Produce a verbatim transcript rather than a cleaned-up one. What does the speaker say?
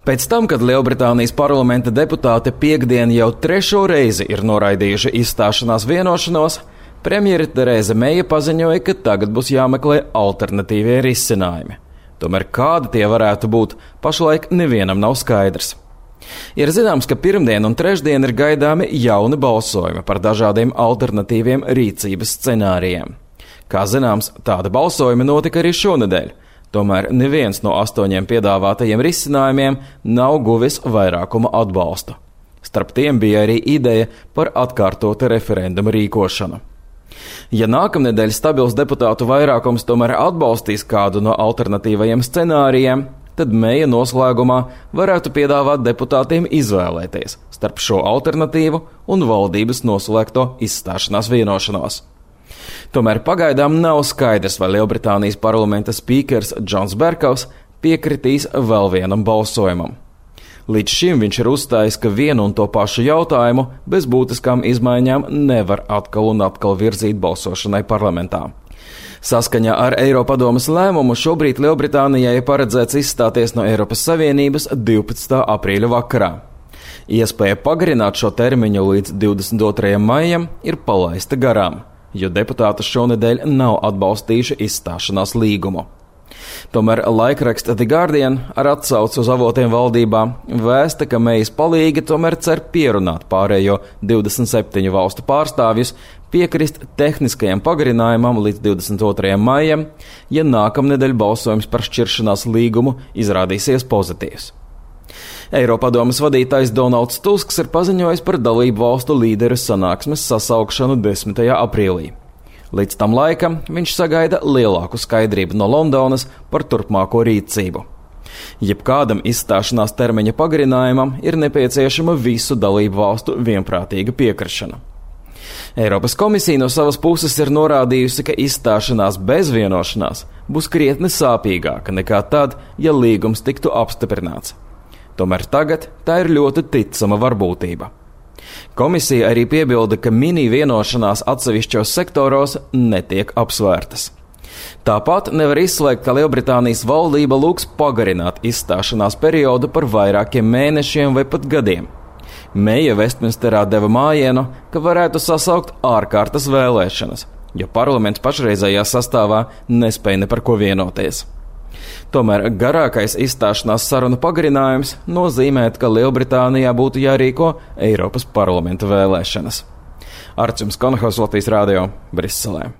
Pēc tam, kad Lielbritānijas parlamenta deputāti piekdien jau trešo reizi ir noraidījuši izstāšanās vienošanos, premjere Tereza Meija paziņoja, ka tagad būs jāmeklē alternatīvie risinājumi. Tomēr kādi tie varētu būt, pašlaik nevienam nav skaidrs. Ir zināms, ka pirmdien un trešdien ir gaidāmi jauni balsojumi par dažādiem alternatīviem rīcības scenārijiem. Kā zināms, tāda balsojuma notika arī šonedēļ. Tomēr neviens no astoņiem piedāvātajiem risinājumiem nav guvis vairākuma atbalstu. Starp tiem bija arī ideja par atkārtotu referendumu rīkošanu. Ja nākamnedēļ stabils deputātu vairākums tomēr atbalstīs kādu no alternatīvajiem scenārijiem, tad Meija noslēgumā varētu piedāvāt deputātiem izvēlēties starp šo alternatīvu un valdības noslēgto izstāšanās vienošanos. Tomēr pagaidām nav skaidrs, vai Lielbritānijas parlamenta spīkers Džons Berkovs piekritīs vēl vienam balsojumam. Līdz šim viņš ir uzstājis, ka vienu un to pašu jautājumu bez būtiskām izmaiņām nevar atkal un atkal virzīt balsošanai parlamentā. Saskaņā ar Eiropadomes lēmumu šobrīd Lielbritānijai ir paredzēts izstāties no Eiropas Savienības divpadsmitā aprīļa vakarā. Iespēja pagarināt šo termiņu līdz divdesmit otrajam maijam ir palaista garām, jo deputāti šonedēļ nav atbalstījuši izstāšanās līgumu. Tomēr laikraksta The Guardian ar atsauci uz avotiem valdībā vēsta, ka Meijas palīgi tomēr cer pierunāt pārējo divdesmit septiņu valstu pārstāvjus piekrist tehniskajam pagarinājumam līdz divdesmit otrajam maijam, ja nākamnedēļ balsojums par šķiršanās līgumu izrādīsies pozitīvs. Eiropadomes vadītājs Donalds Tusks ir paziņojis par dalību valstu līderu sanāksmes sasaukšanu desmitajā aprīlī. Līdz tam laikam viņš sagaida lielāku skaidrību no Londonas par turpmāko rīcību. Jebkādam izstāšanās termiņa pagarinājumam ir nepieciešama visu dalību valstu vienprātīga piekrišana. Eiropas komisija no savas puses ir norādījusi, ka izstāšanās bez vienošanās būs krietni sāpīgāka nekā tad, ja līgums tiktu apstiprināts. Tomēr tagad tā ir ļoti ticama varbūtība. Komisija arī piebilda, ka mini vienošanās atsevišķos sektoros netiek apsvērtas. Tāpat nevar izslēgt, ka Lielbritānijas valdība lūgs pagarināt izstāšanās periodu par vairākiem mēnešiem vai pat gadiem. Meija Vestminsterā deva mājienu, ka varētu sasaukt ārkārtas vēlēšanas, jo parlaments pašreizējā sastāvā nespēja ne par ko vienoties. Tomēr garākais izstāšanās sarunu pagarinājums nozīmē, ka Lielbritānijā būtu jārīko Eiropas parlamenta vēlēšanas. Arčuns Konahaus, Latvijas Rādio, Briselē.